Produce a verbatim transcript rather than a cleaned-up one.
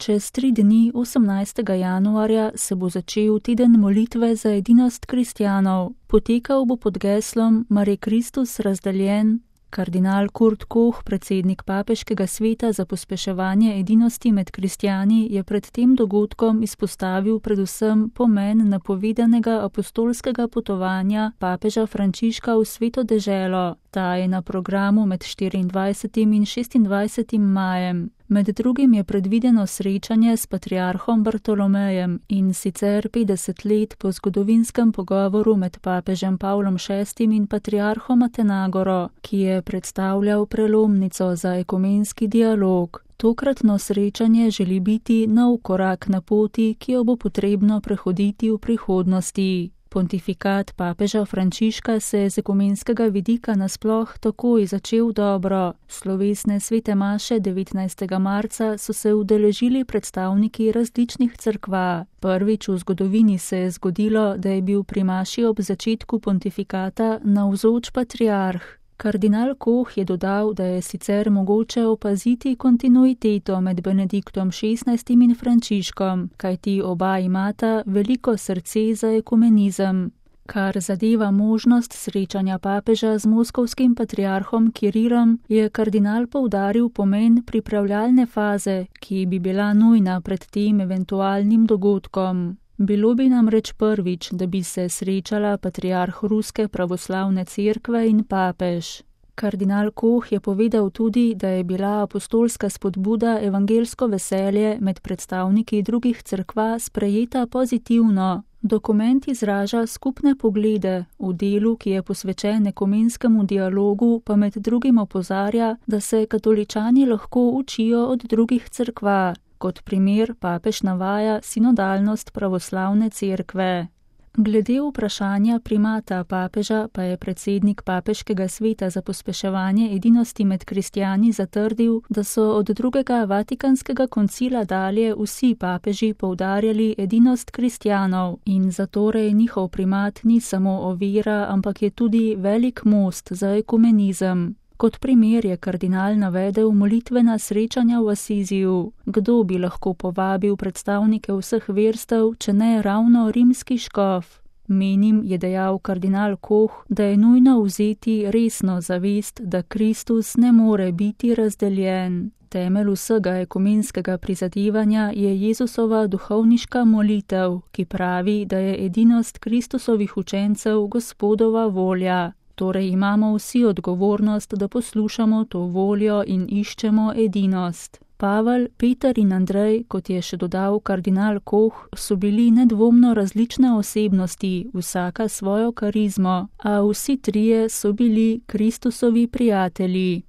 Čez tri dni, osemnajstega januarja, se bo začel teden molitve za edinost kristjanov. Potekal bo pod geslom Mar je Kristus razdeljen. Kardinal Kurt Koch, predsednik Papeškega sveta za pospeševanje edinosti med kristjani, je pred tem dogodkom izpostavil predvsem pomen napovedanega apostolskega potovanja papeža Frančiška v Sveto deželo. Ta je na programu med štiriindvajsetim in šestindvajsetim majem. Med drugim je predvideno srečanje s patriarhom Bartolomejem, in sicer petdeset let po zgodovinskem pogovoru med papežem Pavlom šestim in patriarhom Atenagoro, ki je predstavljal prelomnico za ekumenski dialog. Tokratno srečanje želi biti nov korak na poti, ki jo bo potrebno prehoditi v prihodnosti. Pontifikat papeža Frančiška se je z ekumenskega vidika nasploh takoj začel dobro. Slovesne svete maše devetnajstega marca so se udeležili predstavniki različnih cerkva. Prvič v zgodovini se je zgodilo, da je bil pri maši ob začetku pontifikata navzoč patriarh. Kardinal Koch je dodal, da je sicer mogoče opaziti kontinuiteto med Benediktom šestnajstim in Frančiškom, kajti oba imata veliko srce za ekumenizem. Kar zadeva možnost srečanja papeža z moskovskim patriarhom Kirilom, je kardinal poudaril pomen pripravljalne faze, ki bi bila nujna pred tem eventualnim dogodkom. Bilo bi namreč prvič, da bi se srečala patriarh Ruske pravoslavne cerkve in papež. Kardinal Koch je povedal tudi, da je bila apostolska spodbuda evangelsko veselje med predstavniki drugih cerkva sprejeta pozitivno. Dokument izraža skupne poglede, v delu, ki je posvečen ekumenskemu dialogu, pa med drugim opozarja, da se katoličani lahko učijo od drugih cerkva. Kot primer papež navaja sinodalnost pravoslavne cerkve. Glede vprašanja primata papeža pa je predsednik Papeškega sveta za pospeševanje edinosti med kristjani zatrdil, da so od drugega Vatikanskega koncila dalje vsi papeži poudarjali edinost kristjanov in zatorej njihov primat ni samo ovira, ampak je tudi velik most za ekumenizem. Kot primer je kardinal navedel molitvena srečanja v Asiziju. Kdo bi lahko povabil predstavnike vseh verstev, če ne ravno rimski škof? Menim, je dejal kardinal Koch, da je nujno vzeti resno zavest, da Kristus ne more biti razdeljen. Temelj vsega ekumenskega prizadevanja je Jezusova duhovniška molitev, ki pravi, da je edinost Kristusovih učencev Gospodova volja. Torej imamo vsi odgovornost, da poslušamo to voljo in iščemo edinost. Pavel, Peter in Andrej, kot je še dodal kardinal Koch, so bili nedvomno različne osebnosti, vsaka svojo karizmo, a vsi trije so bili Kristusovi prijatelji.